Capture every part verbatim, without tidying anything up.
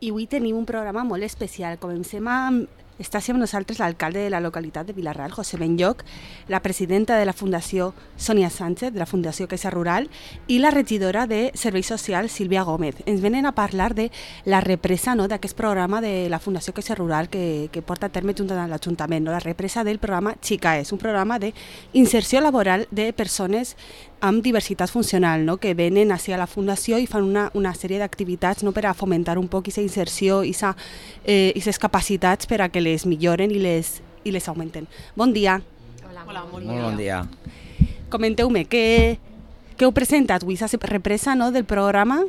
I avui tenim un programa molt especial. Comencem amb... Està amb nosaltres l'alcalde de la localitat de Vila-real, José Benlloch, la presidenta de la Fundació Sònia Sánchez, de la Fundació Caixa Rural, i la regidora de Serveis Socials, Sílvia Gómez. Ens venen a parlar de la represa, no?, d'aquest programa de la Fundació Caixa Rural que, que porta a terme junt amb l'Ajuntament, no?, la represa del programa Xicaes, un programa d'inserció laboral de persones amb diversitat funcional, no?, que venen hacia la Fundació i fan una, una sèrie d'activitats, no?, per a fomentar un poc aquesta inserció i aquestes eh, capacitats per a que les milloren i les, i les augmenten. Bon dia. Hola, Hola molt, molt bon dia. Comenteu-me, què, què heu presentat avui, aquesta represa, no?, del programa?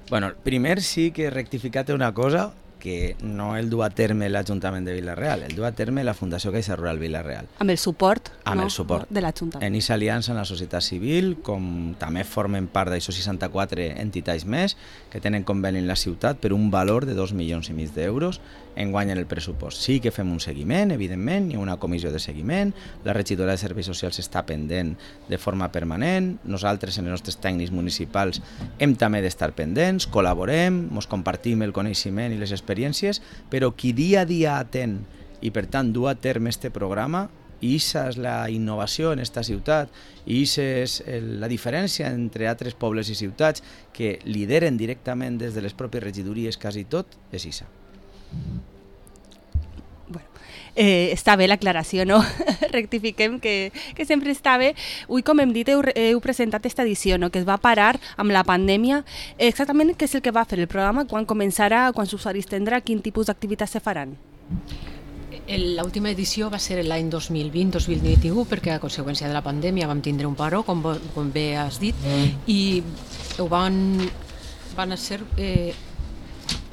Bueno, primer sí que rectificate una cosa, que no el du a terme l'Ajuntament de Vila-real, el du a terme la Fundació Caixa Rural Vila-real. Amb el suport, amb no? el suport de l'Ajuntament. En aquesta aliança amb la societat civil, com també formen part d'això seixanta-quatre entitats més, que tenen conveni en la ciutat per un valor de dos milions i mig d'euros, enguany en el pressupost. Sí que fem un seguiment, evidentment, hi ha una comissió de seguiment, la regidora de Serveis Socials està pendent de forma permanent, nosaltres, en els nostres tècnics municipals, hem també d'estar pendents, col·laborem, ens compartim el coneixement i les experiències, però qui dia a dia atén i per tant du a terme este programa, i aquesta és la innovació en esta ciutat, i aquesta és la diferència entre altres pobles i ciutats que lideren directament des de les pròpies regidories quasi tot, és aquesta. Bueno, eh, està bé l'aclaració, no? Rectifiquem que, que sempre està bé. Avui, com hem dit, heu, heu presentat aquesta edició, no?, que es va parar amb la pandèmia. Exactament què és el que va fer el programa, quan començarà, quants usuaris tindrà, quin tipus d'activitats se faran? L'última edició va ser l'any dos mil vint dos mil vint u, perquè a conseqüència de la pandèmia vam tindre un paró, com, com bé has dit, mm. i ho van, van ser... Eh,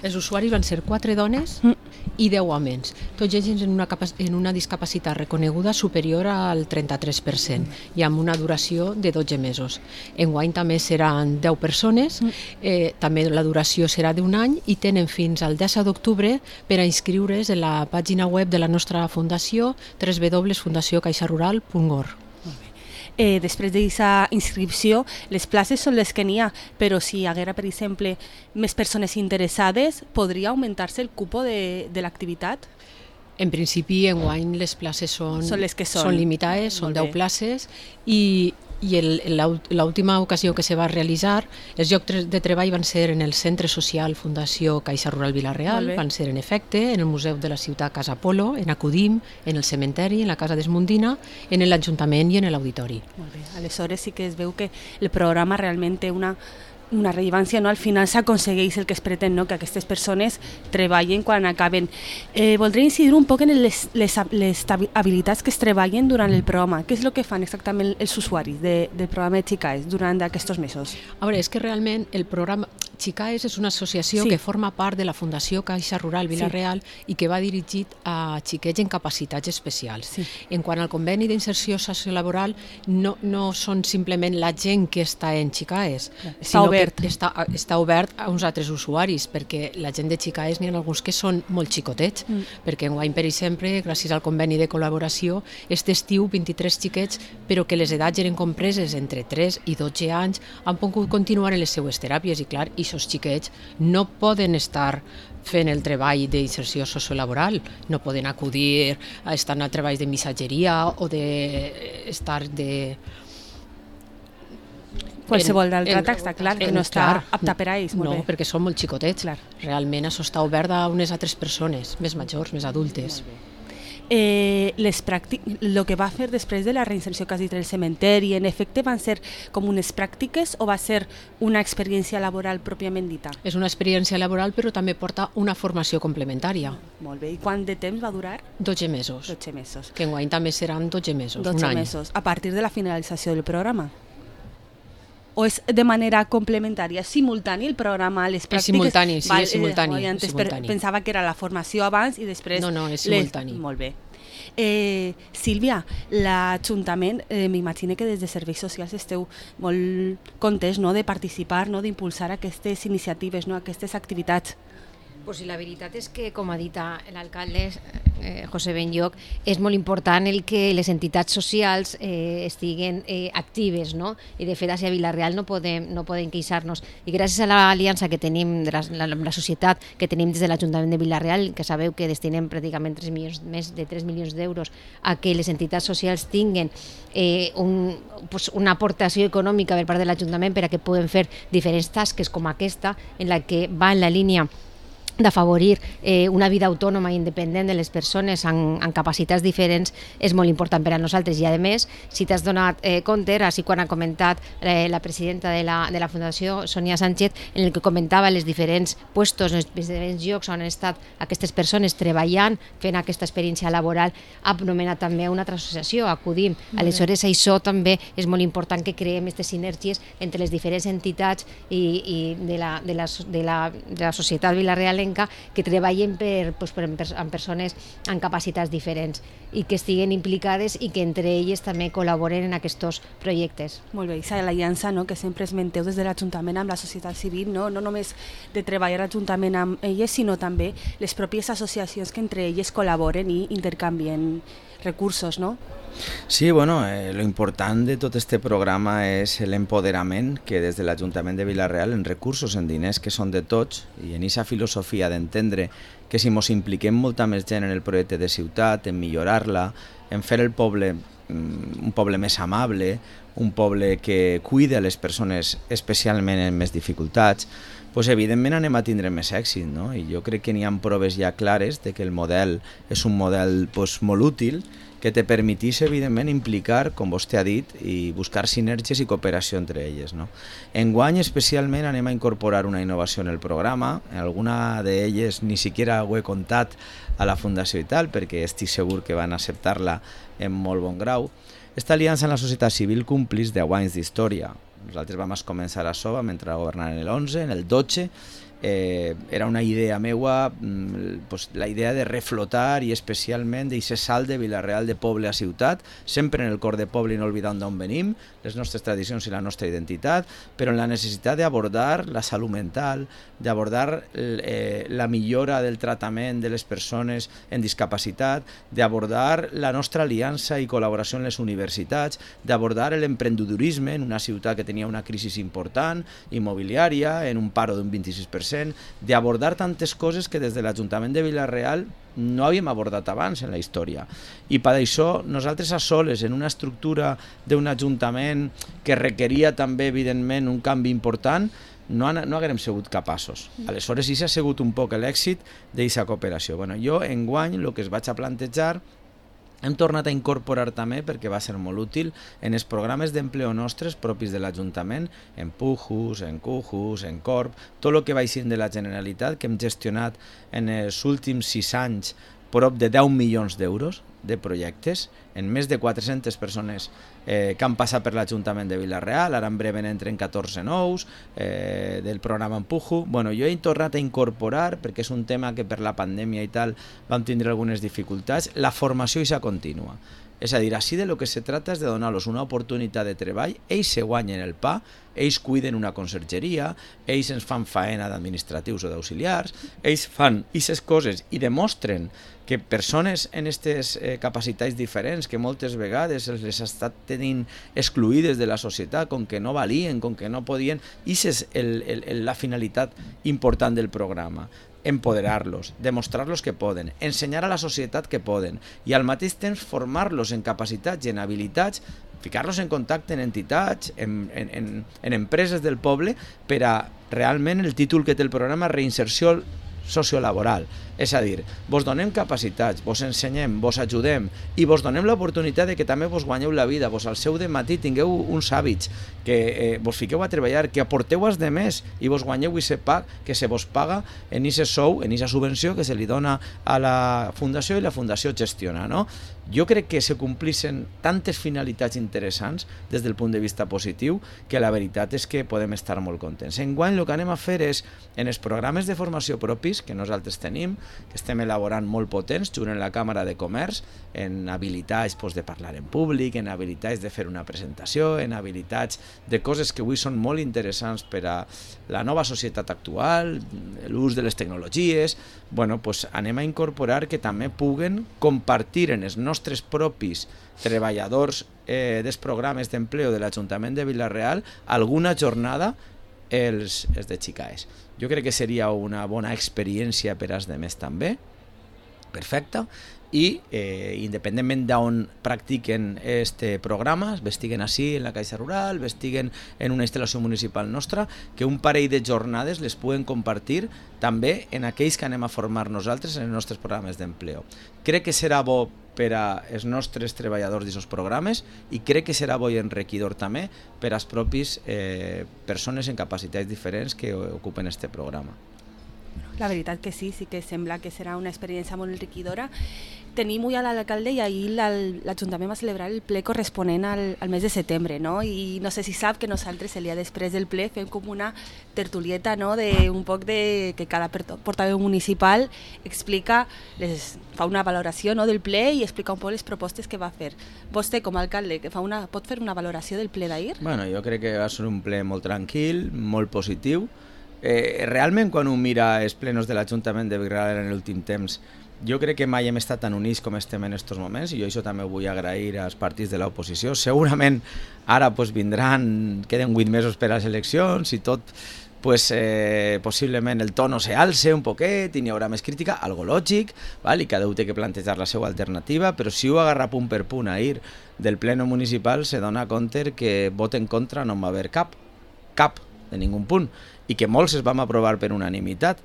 els usuaris van ser quatre dones mm. i deu homes, tots ells en una, en una discapacitat reconeguda superior al trenta-tres per cent i amb una duració de dotze mesos. Enguany també seran deu persones, mm. eh, també la duració serà d'un any i tenen fins al disset d'octubre per a inscriure's en la pàgina web de la nostra fundació w w w punt fundació caixa rural punt org. Eh, després d'aquesta inscripció, les places són les que n'hi ha, però si hi haguera, per exemple, més persones interessades, podria augmentar-se el cupo de, de l'activitat? En principi, enguany les places són, són, les que són. són limitades, són deu places, i, i l'última ocasió que se va realitzar, els llocs de treball van ser en el Centre Social Fundació Caixa Rural Vila-real, van ser en efecte en el Museu de la Ciutat Casa Polo, en Acudim, en el cementeri, en la Casa d'Esmundina, en l'Ajuntament i en l'Auditori. Molt bé, aleshores sí que es veu que el programa realment té una una rellevància, no? Al final s'aconsegueix el que es pretén, no?, que aquestes persones treballen quan acaben. Eh, voldria incidir un poc en les, les, les habilitats que es treballen durant el programa. Què és el que fan exactament els usuaris de, del programa de Xicaes durant aquests mesos? A veure, és que realment el programa Xicaes és una associació sí. que forma part de la Fundació Caixa Rural Vila-real sí. i que va dirigit a xiquets en capacitats especials. Sí. En quant al conveni d'inserció sociolaboral, no, no són simplement la gent que està en Xicaes, està sinó obert. que està, està obert a uns altres usuaris, perquè la gent de Xicaes n'hi ha alguns que són molt xicotets, mm. perquè enguany, per exemple, gràcies al conveni de col·laboració, aquest estiu vint-i-tres xiquets, però que les edats eren compreses entre tres i dotze anys, han pogut continuar en les seues teràpies, i clar, aquests xiquets no poden estar fent el treball d'inserció sociolaboral, no poden acudir a estar en treballs de missatgeria o d'estar de... Qualsevol d'altre atac, està clar, que no està apta per a ells. No, perquè són molt xicotets. Realment això està obert a unes altres persones, més majors, més adultes. Eh, les pràctiques, el que va fer després de la reinserció que has dit el cementeri, en efecte van ser com unes pràctiques o va ser una experiència laboral pròpiament dita? És una experiència laboral, però també porta una formació complementària. Molt bé, i quant de temps va durar? dotze mesos. dotze mesos. Que enguany també seran dotze mesos, un any. dotze mesos, a partir de la finalització del programa? O és de manera complementària, simultani el programa, les pràctiques? És simultani, sí, Val, és simultani. Eh, antes simultani. pensava que era la formació abans i després... No, no, és simultani. Les... Molt bé. Eh, Sílvia, l'Ajuntament, eh, m'imagino que des de Serveis Socials esteu molt contents, no?, de participar, no?, d'impulsar aquestes iniciatives, no?, aquestes activitats. Pues la veritat és que, com ha dit l'alcalde eh, José Benlloch, és molt important el que les entitats socials eh, estiguen eh, actives, no? I de fet a Vila-real no podem, no podem queixar-nos. I gràcies a l'aliança que tenim, de la, la, la societat que tenim des de l'Ajuntament de Vila-real, que sabeu que destinem pràcticament tres milions, més de tres milions d'euros a que les entitats socials tinguen eh, un, pues una aportació econòmica per part de l'Ajuntament per a que puguem fer diferents tasques com aquesta, en la que va en la línia d'afavorir eh, una vida autònoma i independent de les persones amb, amb capacitats diferents, és molt important per a nosaltres. I a més, si t'has donat eh, compte, així quan ha comentat eh, la presidenta de la, de la Fundació, Sonia Sánchez, en el que comentava els diferents puestos, els diferents llocs on han estat aquestes persones treballant, fent aquesta experiència laboral, ha nomenat també una altra associació, Acudim. Aleshores, això també és molt important, que creem aquestes sinergies entre les diferents entitats i, i de, la, de, la, de, la, de la societat vilarealenca, que treballen per, pues, per, amb persones amb capacitats diferents i que estiguen implicades i que entre elles també col·laboren en aquests projectes. Molt bé, i l'aliança, no?, que sempre esmenteu des de l'Ajuntament amb la societat civil, no? No només de treballar l'Ajuntament amb elles, sinó també les pròpies associacions que entre elles col·laboren i intercanvien recursos, no? Sí, bueno, eh, lo important de tot este programa és l'empoderament que des de l'Ajuntament de Vila-real, en recursos, en diners que són de tots, i en aquesta filosofia d'entendre que si ens impliquem molta més gent en el projecte de ciutat, en millorar-la, en fer el poble un poble més amable, un poble que cuida les persones especialment en més dificultats, pues evidentment anem a tindre més èxit, no? I jo crec que n'hi ha proves ja clares de que el model és un model pues, molt útil, que te permetís, evidentment, implicar, com vostè ha dit, i buscar sinergies i cooperació entre elles, no? Enguany, especialment, anem a incorporar una innovació en el programa. En alguna d'elles ni siquiera ho he contat a la Fundació i tal, perquè estic segur que van acceptar-la en molt bon grau. Esta aliança en la societat civil complís deu anys d'història. Nosaltres vam començar a això, vam entrar a governar en l'onze, en el dotze, Eh, era una idea meua, pues, la idea de reflotar i especialment d'aquest salt de Vila-real de poble a ciutat, sempre en el cor de poble i no oblidant d'on venim, les nostres tradicions i la nostra identitat, però en la necessitat d'abordar la salut mental, d'abordar eh, la millora del tractament de les persones en discapacitat, d'abordar la nostra aliança i col·laboració en les universitats, d'abordar l'emprendedorisme en una ciutat que tenia una crisi important, immobiliària, en un paro d'un vint-i-sis per cent, d'abordar tantes coses que des de l'Ajuntament de Vila-real no havíem abordat abans en la història. I per això nosaltres a soles, en una estructura d'un ajuntament que requeria també, evidentment, un canvi important, no, no haguem sigut capaços. Aleshores, sí s'ha sigut un poc l'èxit d'aquesta cooperació. Bueno, jo, enguany, el que es vaig a plantejar, hem tornat a incorporar també, perquè va ser molt útil, en els programes d'empleo nostres propis de l'Ajuntament, en Pujus, en Cujus, en Corp, tot el que va eixir de la Generalitat, que hem gestionat en els últims sis anys prop de deu milions d'euros de projectes, en més de quatre-centes persones eh, que han passat per l'Ajuntament de Vila-real, ara en breu entren catorze nous eh, del programa Empujo. Bueno, jo he tornat a incorporar, perquè és un tema que per la pandèmia i tal vam tindre algunes dificultats, la formació i sa contínua. És a dir, així de lo que se trata és de donar-los una oportunitat de treball, ells se guanyen el pa, ells cuiden una consergeria, ells ens fan faena d'administratius o d'auxiliars, ells fan aquestes coses i demostren que persones en aquestes eh, capacitats diferents, que moltes vegades els les ha estat tenint excluïdes de la societat, com que no valien, com que no podien, i és el, el, el, la finalitat important del programa. Empoderar-los, demostrar-los que poden, ensenyar a la societat que poden i al mateix temps formar-los en capacitats i en habilitats, ficar-los en contacte en entitats, en, en, en, en empreses del poble, per a realment el títol que té el programa, reinserció sociolaboral. És a dir, vos donem capacitats, vos ensenyem, vos ajudem i vos donem l'oportunitat de que també vos guanyeu la vida, vos al seu dematí tingueu uns hàbits, que eh, vos fiqueu a treballar, que aporteu als demés i vos guanyeu aquest pag que se vos paga en aquest sou, en aquesta subvenció que se li dona a la Fundació i la Fundació gestiona, no? Jo crec que se complixen tantes finalitats interessants des del punt de vista positiu que la veritat és que podem estar molt contents. Enguany el que anem a fer és, en els programes de formació propis, propis que nosaltres tenim, que estem elaborant molt potents, junt amb la Càmera de Comerç, en habilitats pues, de parlar en públic, en habilitats de fer una presentació, en habilitats de coses que avui són molt interessants per a la nova societat actual, l'ús de les tecnologies. Bueno, pues, anem a incorporar que també puguen compartir en els nostres propis treballadors eh, dels programes d'empleo de l'Ajuntament de Vila-real alguna jornada els, els de Xicaes. Jo crec que seria una bona experiència per als demés també, perfecte, i eh, independentment d'on practiquen este programa, vestiguen així en la Caixa Rural, vestiguen en una instal·lació municipal nostra, que un parell de jornades les puguen compartir també en aquells que anem a formar nosaltres en els nostres programes d'empleo. Crec que serà bo per als nostres treballadors d'aquests programes i crec que serà bo i enriquidor també per a les propis eh, persones en capacitats diferents que ocupen este programa. La veritat que sí, sí que sembla que serà una experiència molt enriquidora. Tenim avui a l'alcalde i ahir l'Ajuntament va celebrar el ple corresponent al, al mes de setembre, no? I no sé si sap que nosaltres el dia després del ple fem com una tertulieta, no? De un poc de que cada portaveu municipal explica, les, fa una valoració, no? Del ple i explica un poc les propostes que va fer. Vostè com a alcalde que fa una, pot fer una valoració del ple d'ahir? Bueno, jo crec que va ser un ple molt tranquil, molt positiu. Eh, realment quan un mira els plenos de l'Ajuntament de Vila-real en l'últim temps, jo crec que mai hem estat tan units com estem en aquests moments i jo això també ho vull agrair als partits de l'oposició. Segurament ara pues, vindran, queden vuit mesos per a les eleccions i tot, pues, eh, possiblement el tono se alce un poquet i n'hi haurà més crítica, algo lògic, val? I cada un té que plantejar la seva alternativa, però si ho agarra punt per punt ahir del pleno municipal se dona compte que vot en contra no en va haver cap, cap, de ningú punt, i que molts es vam aprovar per unanimitat.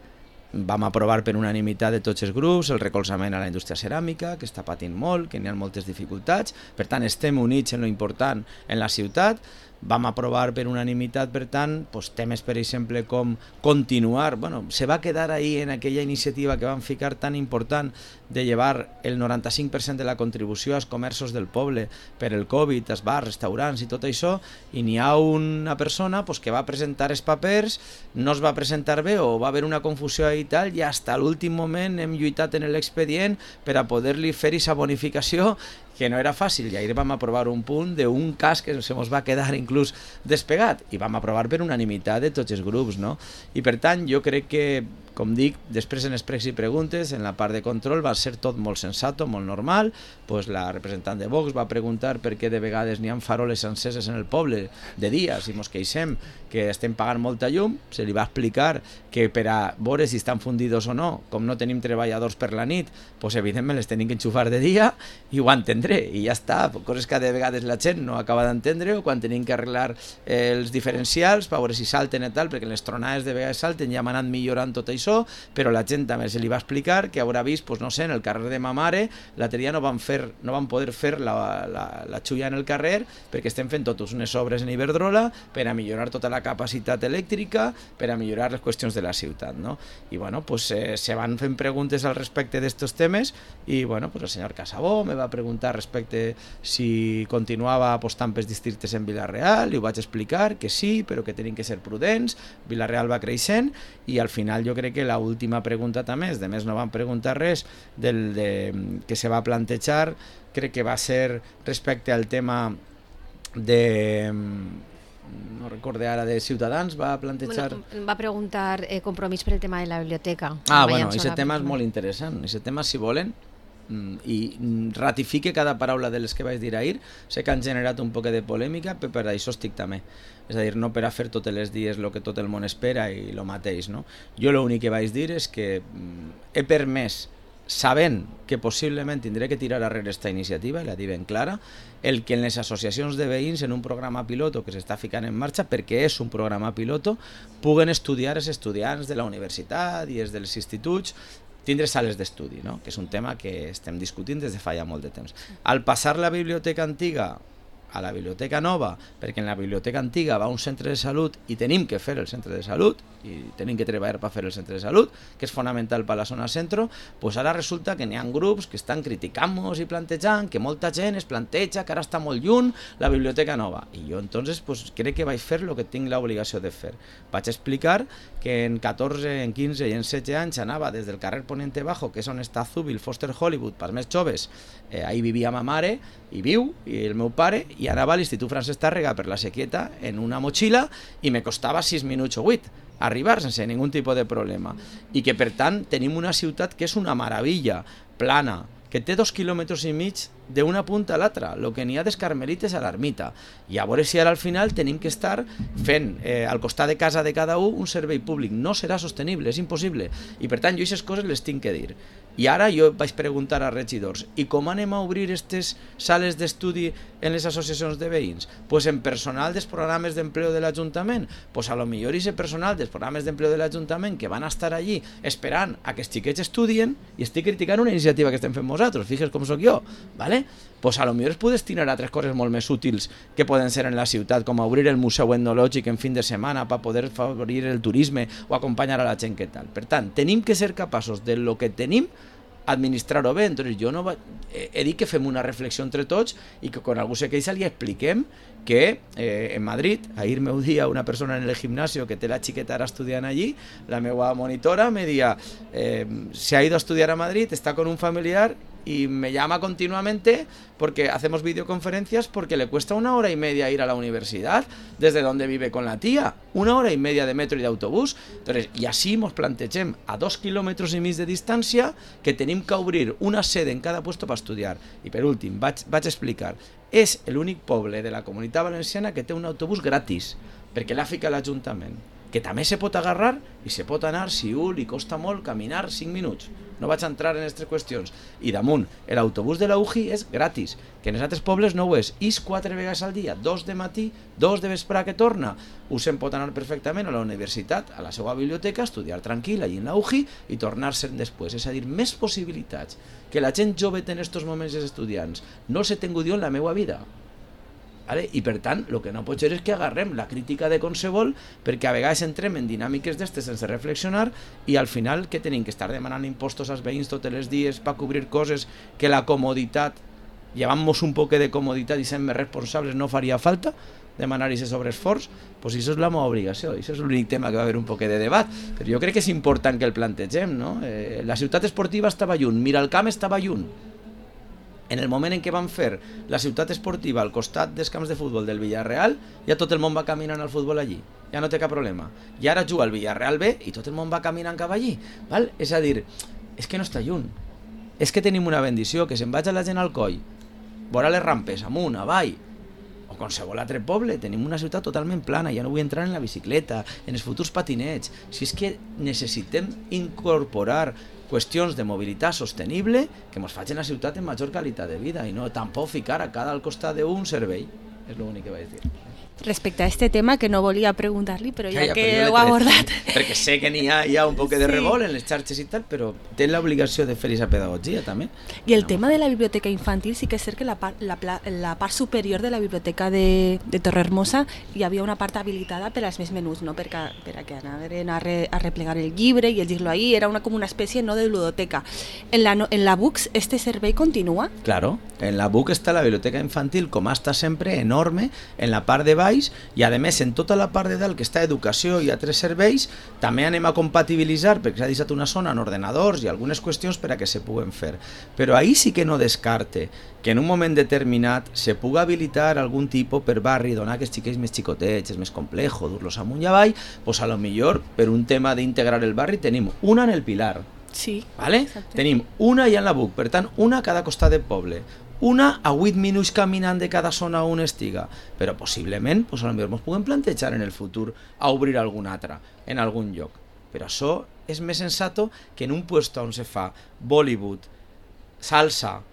Vam aprovar per unanimitat de tots els grups el recolzament a la indústria ceràmica, que està patint molt, que n'hi ha moltes dificultats, per tant estem units en lo important en la ciutat. Vam aprovar per unanimitat, per tant, pues, temes, per exemple, com continuar, bueno, se va quedar ahí en aquella iniciativa que van ficar tan important de llevar el noranta-cinc per cent de la contribució als comerços del poble per el Covid, als bars, restaurants i tot això, i n'hi ha una persona pues, que va presentar els papers, no es va presentar bé o va haver una confusió i tal, i fins a l'últim moment hem lluitat en l'expedient per a poder-li fer aquesta bonificació que no era fàcil, i ahir vam aprovar un punt d'un cas que se mos va quedar inclús despegat, i vam aprovar per unanimitat de tots els grups, no? I per tant, jo crec que, com dic, després en els pregs i preguntes, en la part de control va ser tot molt sensato, molt normal, pues la representant de Vox va preguntar per què de vegades n'hi ha faroles enceses en el poble de dia, si mos queixem que estem pagant molta llum, se li va explicar que per a veure si estan fundidos o no, com no tenim treballadors per la nit, pues evidentment les tenim que enxufar de dia, i ho entendré, i ja està, coses que de vegades la gent no acaba d'entendre, o quan tenim que arreglar eh, els diferencials per veure si salten i tal, perquè les tronades de vegades salten, ja hem anat millorant tot això, però la gent també se li va explicar que haurà vist, pues, no sé, en el carrer de ma mare l'altre dia no van, fer, no van poder fer la, la, la xulla en el carrer perquè estem fent totes unes obres en Iberdrola per a millorar tota la capacitat elèctrica, per a millorar les qüestions de la ciutat, no? I bueno, pues eh, se van fent preguntes al respecte d'estos temes i bueno, pues el senyor Casabó me va preguntar respecte si continuava apostant pels districtes en Vila-real i ho vaig explicar que sí, però que tenim que ser prudents. Vila-real va creixent i al final jo crec que la última pregunta també, de més no van preguntar res del, de, que se va plantejar, crec que va ser respecte al tema de, no recorde ara, de Ciutadans, va plantejar... Bueno, va preguntar eh, compromís per el tema de la biblioteca. Ah, bueno, aquest tema és molt interessant, aquest tema, si volen, i ratifique cada paraula de les que vaig dir ahir, sé que han generat un poc de polèmica, però per això estic també. És a dir, no per a fer tots els dies el que tot el món espera i el mateix, no? Jo l'únic que vaig dir és que he permès, sabent que possiblement tindré que tirar arrere aquesta iniciativa, i la dic ben clara, el que en les associacions de veïns, en un programa piloto que s'està ficant en marxa, perquè és un programa piloto, puguen estudiar els estudiants de la universitat i els dels instituts, tindre sales d'estudi, no? Que és un tema que estem discutint des de fa ja molt de temps. Al passar la biblioteca antiga a la biblioteca nova, perquè en la biblioteca antiga va un centre de salut i tenim que fer el centre de salut, i tenim que treballar per fer el centre de salut, que és fonamental per la zona centro, pues ara resulta que n'hi ha grups que estan criticant-nos i plantejant que molta gent es planteja que ara està molt lluny la biblioteca nova. I jo entonces pues, crec que vaig fer el que tinc l'obligació de fer. Vaig explicar que en catorze, en quinze i en setze anys anava des del carrer Poniente Bajo, que és on està Zúbil, Foster Hollywood, pels més joves, eh, ahí vivia ma mare, i viu, i el meu pare, i anava a l'Institut Francesc Tàrrega per la Sequieta en una motxilla i me costava sis minuts o vuit arribar sense ningú tipus de problema. I que per tant tenim una ciutat que és una meravella, plana, que té dos quilòmetres i mig d'una punta a l'altra, el que n'hi ha des Carmelites a l'ermita. I a veure si ara al final tenim que estar fent eh, al costat de casa de cada un un servei públic. No serà sostenible, és impossible. I per tant jo aquestes coses les tinc que dir. I ara jo vaig preguntar a regidors, i com anem a obrir aquestes sales d'estudi en les associacions de veïns? Pues en personal dels programes d'empleo de l'Ajuntament. Pues a lo millor ese personal dels programes d'empleo de l'Ajuntament que van estar allí esperant a que els xiquets estudien, i estic criticant una iniciativa que estem fent nosaltres, fixes com sóc jo, ¿vale? Pues a lo millor es puede destinar a tres coses molt més útils que poden ser en la ciutat, com obrir el museu etnològic en fin de setmana per poder favorir el turisme o acompanyar a la gent que tal. Per tant, tenim que ser capaços de lo que tenim administrar-ho bé. Entonces jo no va... he dit que fem una reflexió entre tots i que quan algú se queixa li expliquem que eh, en Madrid, ahir meu dia una persona en el gimnasio que té la xiqueta ara estudiant allí, la meva monitora me dia eh, se ha ido a estudiar a Madrid, está con un familiar y me llama continuamente porque hacemos videoconferencias porque le cuesta una hora y media ir a la universidad desde donde vive con la tía, una hora y media de metro y de autobús. Entonces, i així mos plantegem a dos quilòmetres i mig de distància que tenim que obrir una sede en cada puesto per estudiar. I per últim, vaig, vaig explicar, és l'únic poble de la Comunitat Valenciana que té un autobús gratis, perquè l'ha ficat l'Ajuntament, que també se pot agarrar i se pot anar si un li costa molt caminar cinc minuts. No vaig entrar en aquestes qüestions. I damunt, l'autobús de la U J I és gratis, que en els altres pobles no ho és. És quatre vegades al dia, dos de matí, dos de vespre que torna. Us en pot anar perfectament a la universitat, a la seva biblioteca, estudiar tranquil allí en la U J I i tornar-se'n després. És a dir, més possibilitats que la gent jove té en aquests moments els estudiants. No els he tingut jo en la meva vida. Vale? I per tant, el que no pot ser és que agarrem la crítica de qualsevol, perquè a vegades entrem en dinàmiques d'estes sense reflexionar i al final que tenim que estar demanant impostos als veïns tots els dies per cobrir coses que la comoditat, llevant-nos un poc de comoditat i sent més responsables, no faria falta demanar aquest sobreesforç. Pues això és la meva obligació, això és l'únic tema que va haver un poc de debat, però jo crec que és important que el plantegem, no? Eh, la ciutat esportiva estava lluny, Miralcamp estava lluny. En el moment en què van fer la ciutat esportiva al costat dels camps de futbol del Villarreal, ja tot el món va caminant al futbol allí, ja no té cap problema. I ara juga el Villarreal B i tot el món va caminant cap allí, val? És a dir, és que no està lluny, és que tenim una bendició, que se'n vaig a la gent al coll, vora les rampes, amunt, avall, o qualsevol altre poble, tenim una ciutat totalment plana, ja no vull entrar en la bicicleta, en els futurs patinets. Si és que necessitem incorporar qüestions de mobilitat sostenible que ens facin la ciutat en major qualitat de vida i no tampoc ficar a cada al costat d'un servei. És l'únic que vaig dir. Respecte a este tema, que no volia preguntar-li, però ja, ja, ja que però ho ha abordat... Perquè sé que n'hi ha, hi ha un poc de revolt en les xarxes i tal, però té l'obligació de fer aquesta pedagogia també. I el tema de la biblioteca infantil, sí que és cert que la part, la, la part superior de la biblioteca de, de Torrehermosa hi havia una part habilitada per als més menuts, no? per, a, per a que anaven a, re, a replegar el llibre i llegir-lo ahí, era una, com una espècie no de ludoteca. En la, en la B U C este servei continua? Claro, en la B U C està la biblioteca infantil, com està sempre, enorme, en la part de baix, i a més en tota la part de dalt que està educació i altres serveis també anem a compatibilitzar perquè s'ha deixat una zona en ordenadors i algunes qüestions per a que se puguen fer, però ahí sí que no descarte que en un moment determinat se puga habilitar algun tipus per barri, donar que els xiquets més xicotets, és més complejo dur-los amunt i avall, pues a lo millor per un tema d'integrar el barri tenim una en el Pilar, sí, ¿vale? Tenim una ja en la B U C, per tant una a cada costat del poble, una a vuit minuts caminant de cada zona on estiga, però possiblement pues, a lo millor ens puguem plantejar en el futur a obrir alguna altra en algun lloc, però això és més sensato que en un puesto on se fa Bollywood, salsa,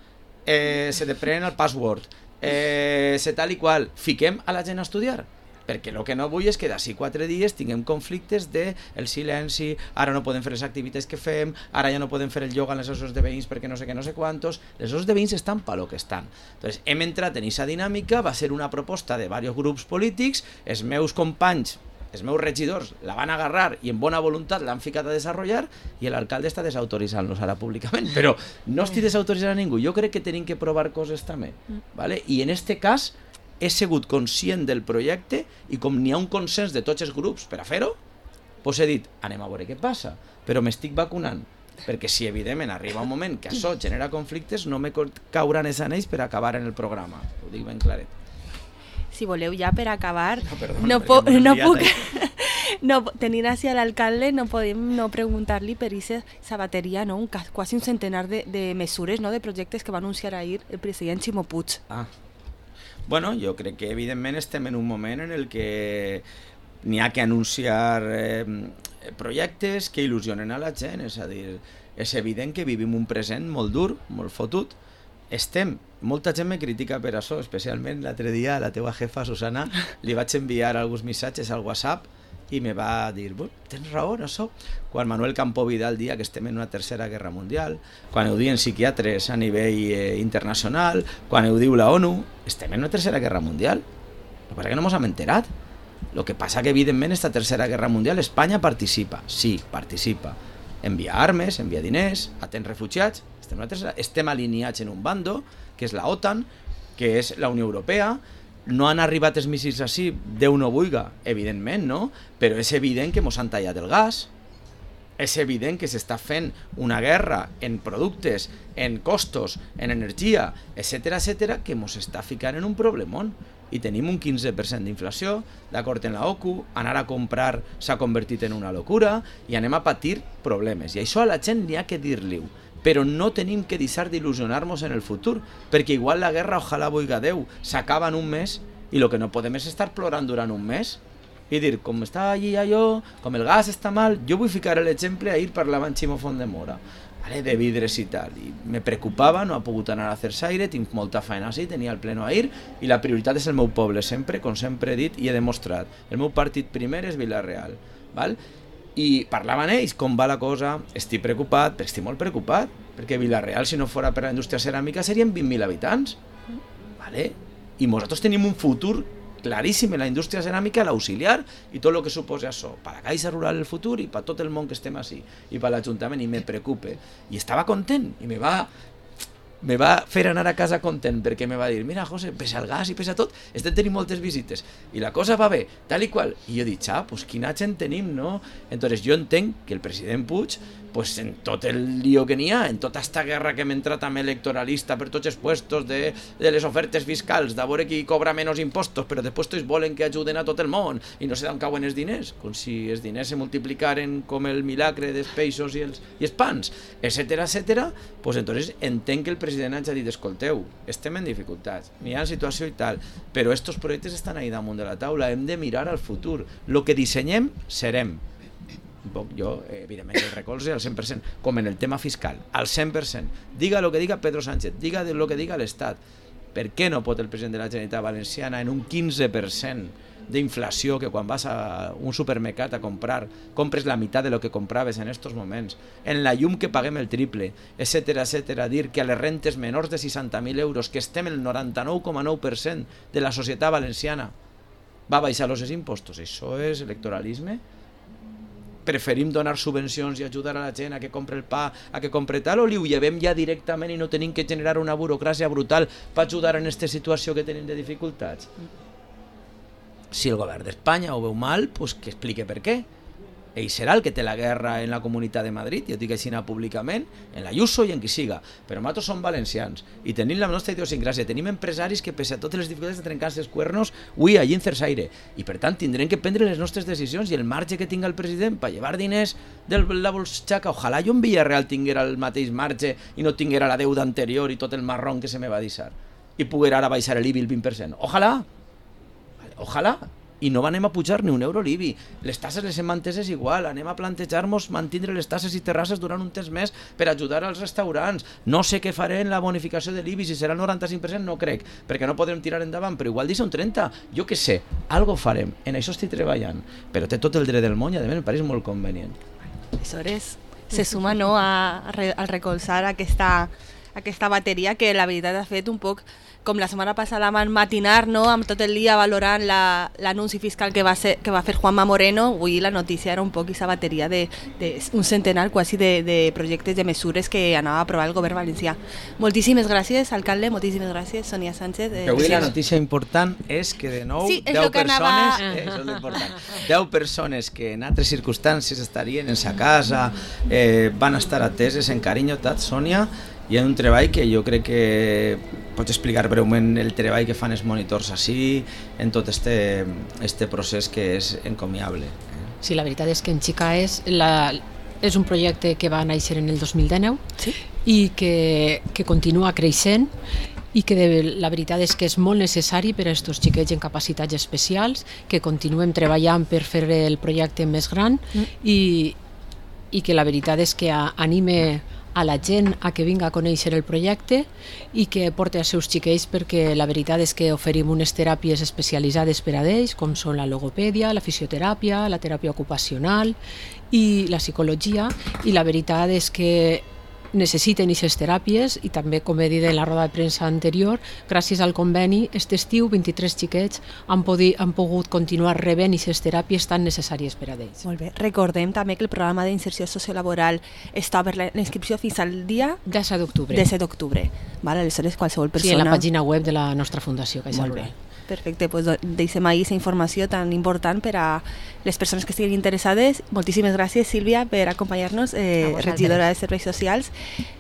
eh, se te prenen el password, eh, se tal i qual, fiquem a la gent a estudiar. perquè el que no vull és que d'ací quatre dies tinguem conflictes de el silenci, ara no podem fer les activitats que fem, ara ja no podem fer el ioga en les associacions de veïns perquè no sé què, no sé quantos. Les associacions de veïns estan per lo que estan. Entonces, hem entrat en aquesta dinàmica, va ser una proposta de diversos grups polítics, els meus companys, els meus regidors la van agarrar i en bona voluntat l'han ficat a desenvolupar i l'alcalde està desautoritzant-los ara públicament, però no estic desautoritzant a ningú, jo crec que tenim que provar coses també, ¿vale? I en este cas he sigut conscient del projecte i com n'hi ha un consens de tots els grups per a fer-ho, doncs he dit, anem a veure què passa, però m'estic vacunant, perquè si evidentment arriba un moment que això genera conflictes no me cauran els anells per acabar en el programa, ho dic ben claret. Si voleu ja per acabar, no, perdó, no, po no puc... No, tenint així a l'alcalde no podem no preguntar-li per aquesta bateria, no? un, quasi un centenar de, de mesures, no? de projectes que va anunciar ahir el president Ximo Puig. Ah. Bueno, jo crec que evidentment estem en un moment en el que n'hi ha que anunciar eh, projectes que il·lusionen a la gent, és a dir, és evident que vivim un present molt dur, molt fotut, estem, molta gent me critica per això, especialment l'altre dia a la teua jefa Susana li vaig enviar alguns missatges al WhatsApp i me va dir, tens raó en això, quan Manuel Campo Vidal dia que estem en una tercera guerra mundial, quan ho diuen psiquiatres a nivell eh, internacional, quan ho diu la ONU, estem en una tercera guerra mundial, el que passa que no ens hem enterat. El que passa que evidentment esta tercera guerra mundial Espanya participa, sí, participa, envia armes, envia diners, atén refugiats, estem, una tercera, estem alineats en un bando, que és la OTAN, que és la Unió Europea. No han arribat els míssils així, Déu no vulga, evidentment, no? Però és evident que mos han tallat el gas, és evident que s'està fent una guerra en productes, en costos, en energia, etcètera, etcètera, que mos està ficant en un problemón. I tenim un quinze per cent d'inflació, d'acord en la O C U, anar a comprar s'ha convertit en una locura i anem a patir problemes. I això a la gent n'hi ha que dir-li-ho. Però no tenim que deixar d'il·lusionar-nos en el futur, perquè igual la guerra, ojalà vulga Déu, s'acaba en un mes i el que no podem és estar plorant durant un mes i dir, com està allí allò, com el gas està mal. Jo vull ficar l'exemple, ahir parlava amb Ximo Fondemora, vale, de vidres i tal, i me preocupava, no ha pogut anar a fer-s'aire, tinc molta feina així, tenia el pleno ahir, i la prioritat és el meu poble, sempre, com sempre he dit i he demostrat. El meu partit primer és Vila-real, val? I parlaven ells, com va la cosa, estic preocupat, però estic molt preocupat, perquè Vila-real, si no fora per la indústria ceràmica, serien vint mil habitants, vale? I nosaltres tenim un futur claríssim en la indústria ceràmica, l'auxiliar, i tot el que suposa això, per la Caixa Rural el futur i per tot el món que estem així, i per l'Ajuntament, i me preocupe. I estava content, i me va... me va fer anar a casa content perquè me va dir, mira José, pese al gas i pese a tot estem tenint moltes visites i la cosa va bé, tal i qual, i jo dic, ah, pues quina gent tenim, no? Entonces jo entenc que el president Puig, pues en tot el lío que n'hi ha, en tota esta guerra que hem entrat també electoralista per tots els puestos de, de les ofertes fiscals, de veure qui cobra menys impostos, però després tots volen que ajuden a tot el món i no sé d'on cauen els diners, com si els diners se multiplicaren com el milagre dels peixos i els, i els pans, etcètera, etcètera, pues entonces entenc que el president ens ha dit, escolteu, estem en dificultats, n'hi ha situació i tal, però estos projectes estan ahí damunt de la taula, hem de mirar al futur, el que dissenyem, serem. Jo, evidentment, el recolze al cent per cent, com en el tema fiscal, al cent per cent. Diga el que diga Pedro Sánchez, diga el que diga l'Estat. Per què no pot el president de la Generalitat Valenciana en un quinze per cent d'inflació, que quan vas a un supermercat a comprar, compres la meitat de lo que compraves en estos moments, en la llum que paguem el triple, etcètera, etcètera, dir que a les rentes menors de seixanta mil euros, que estem el noranta-nou coma nou per cent de la societat valenciana, va baixar els impostos. Això és electoralisme? Preferim donar subvencions i ajudar a la gent a que compre el pa, a que compre tal, o li ho llevem ja directament i no tenim que generar una burocràcia brutal per ajudar en aquesta situació que tenim de dificultats? Si el govern d'Espanya ho veu mal, pues que explique per què. Ell serà el que té la guerra en la Comunitat de Madrid, jo dic així públicament, en l'Ayuso i en qui siga, però nosaltres som valencians i tenim la nostra idiosincràsia, tenim empresaris que pese a totes les dificultats de trencar-se els cuernos, ui, allí en Cersaire, i per tant tindrem que prendre les nostres decisions, i el marge que tinga el president per llevar diners de la bolsitxaca, ojalà jo en Villarreal tinguera el mateix marge i no tinguera la deuda anterior i tot el marrón que se me va deixar, i poguera ara baixar l'I B I el vint per cent, ojalà, ojalà, i no anem a pujar ni un euro l'I B I. Les tasses les hem manteses igual, anem a plantejar-nos mantindre les tasses i terrasses durant un temps més per ajudar als restaurants. No sé què faré en la bonificació de l'I B I, si serà el noranta-cinc per cent no crec, perquè no podrem tirar endavant, però igual deixa un trenta, jo què sé, algo farem, en això estic treballant, però té tot el dret del món i a més em pareix molt convenient. Aleshores, se suma, no, a, a recolzar aquesta, aquesta bateria que la veritat ha fet un poc com la setmana passada van matinar, no, amb tot el dia valorant l'anunci la, fiscal que va, ser, que va fer Juanma Moreno. Avui la notícia era un poc aquesta bateria de, de un centenar quasi de, de projectes, de mesures que anava a aprovar el govern valencià. Moltíssimes gràcies, alcalde, moltíssimes gràcies, Sonia Sánchez. Eh, avui la notícia important és que de nou sí, deu persones, anava... eh, això és l'important, deu persones que en altres circumstàncies estarien en sa casa, eh, van estar ateses en carinyo, tat, Sònia, hi ha un treball que jo crec que pots explicar breument el treball que fan els monitors així en tot este, este procés que és encomiable. Sí, la veritat és que en Xicaes la, és un projecte que va néixer en el dos mil dinou sí? i que, que continua creixent i que de, la veritat és que és molt necessari per a aquests xiquets en capacitats especials, que continuem treballant per fer el projecte més gran mm. i, i que la veritat és que anime a la gent a que vinga a conèixer el projecte i que porti els seus xiquets, perquè la veritat és que oferim unes teràpies especialitzades per a ells, com són la logopèdia, la fisioteràpia, la teràpia ocupacional i la psicologia, i la veritat és que necessiten aquestes teràpies i també, com he dit en la roda de premsa anterior, gràcies al conveni, aquest estiu vint-i-tres xiquets han, podi, han pogut continuar rebent aquestes teràpies tan necessàries per a ells. Molt bé. Recordem també que el programa d'inserció sociolaboral està per la inscripció fins al dia disset d'octubre. disset d'octubre. Vale, aleshores qualsevol persona... Sí, en la pàgina web de la nostra Fundació Caixa Rural. Perfecte, pues deixem ahí aquesta informació tan important per a les persones que estiguin interessades. Moltíssimes gràcies, Sílvia, per acompanyar-nos, eh, regidora de Serveis Socials.